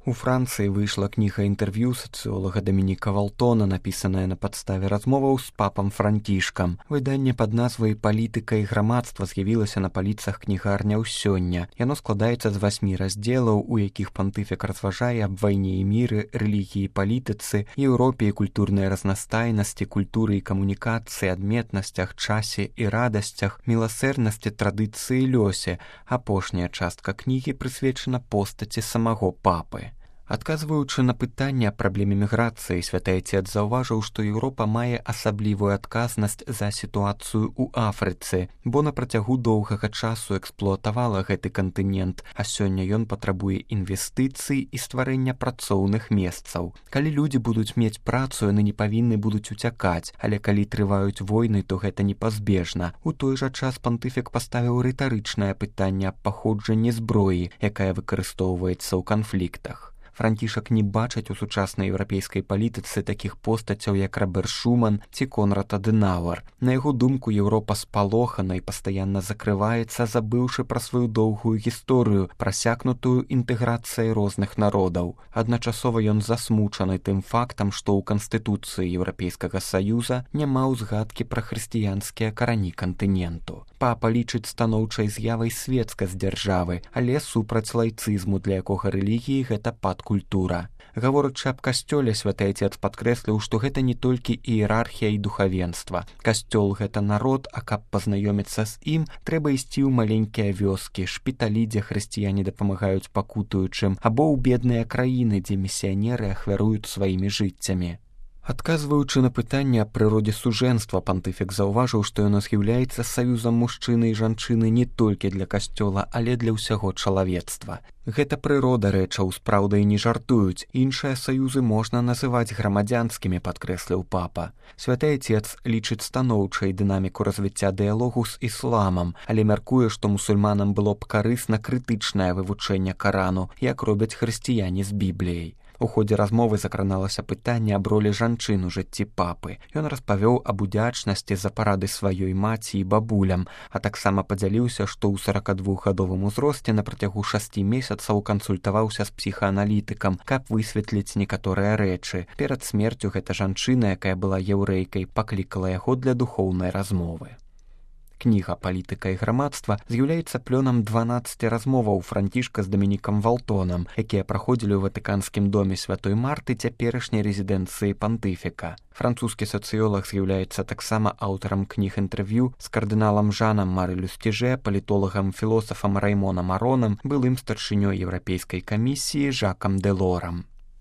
У Францыі выйшла кніга інтэрв'ю сацыолага Дамініка Валтона, напісаная на падставе размоваў з папам Францішкам. Выданне пад назвай «Палітыка і грамадства» з'явілася на паліцах кнігарняў сёння. Яно складаецца з 8 раздзелаў, у якіх пантыфік разважае аб вайне і міры, рэлігіі і палітыцы, Еўропе і культурнай разнастайнасці, культуры і камунікацыі, адметнасцях, часе і радасцях, міласэрнасці, традыцыі і лёсе. Апошняя частка кнігі прысвечана постаці самого папы. Адказваючы на пытанне аб праблеме міграцыі, святы Отец заўважыў, што Еўропа мае асаблівую адказнасць за сітуацыю ў Афрыцы, бо на працягу доўгага часу эксплуатавала гэты кантынент, а сёння ён патрабуе інвестыцый і стварэння працоўных месцаў. Калі людзі будуць мець працу, яны не павінны будуць уцякаць, але калі трываюць войны, то гэта непазбежна. У той жа час пантыфік паставіў рытарычнае пытанне аб паходжанні зброі, якая выкарыстоўваецца ў канфліктах. Францішак не бачыць у сучаснай еўрапейскай палітыцы такіх постацяў, як Роберт Шуман ці Конрад Адэнауэр. На яго думку, Еўропа спалохана і пастаянна закрываецца, забыўшы пра сваю доўгую гісторыю, прасякнутую інтэграцыяй розных народаў. Адначасова ён засмучаны тым фактам, што ў Канстытуцыі Еўрапейскага Саюза няма ўзгадкі пра хрысціянскія карані кантыненту. Папа лічыць станоўчай з'явай свецкасць дзяржавы, але супраць лайцызму, для якога рэлігіі гэта падкультура. Гаворачы аб касцёле, святы Отец падкрэсліў, што гэта не толькі іерархія і духавенства. Касцёл — гэта народ, а каб пазнаёміцца з ім, трэба ісці ў маленькія вёскі, шпіталі, дзе хрысціяне дапамагаюць пакутуючым, або ў бедныя краіны, дзе місіянеры ахвяруюць сваімі жыццямі. Адказваючы на пытанне аб прыродзе сужэнства, пантыфік заўважыў, што яно з'яўляецца саюзам мужчыны і жанчыны не толькі для касцёла, але для ўсяго чалавецтва. Гэта прырода рэчаў, з праўдай не жартуюць. Іншыя саюзы можна называць грамадзянскімі, падкрэсліў папа. Святы Отец лічыць станоўчай дынаміку развіцця дыялогу з ісламам, але мяркуе, што мусульманам было б карысна крытычнае вывучэнне Карану, як робяць хрысціяне з Бібліяй. У ходзе размовы закраналася пытанне аб ролі жанчын у жыцці папы. Ён распавёў аб удзячнасці за парады сваёй маці і бабулям, а таксама падзяліўся, што ў 42гадовым узросце на працягу 6 месяцаў кансультаваўся з псіхааналітыкам, каб высветліць некаторыя рэчы. Перад смерцю гэта жанчына, якая была яўрэйкай, паклікала яго для духоўнай размовы. Кніга «Палітыка і грамадства» з'яўляецца плёнам 12 размоваў Францішка з Дамінікам Валтонам, якія праходзілі ў Ватыканскім доме святой Марты, цяперашняй рэзідэнцыі пантыфіка. Французскі сацыёлаг з'яўляецца таксама аўтарам кніг інтэрв'ю з кардыналам Жанам Мары Люстіжэ, палітолагам-філосафам Раймонам Аронам, былым старшынёй Еўрапейскай камісіі Жакам Дэлорам.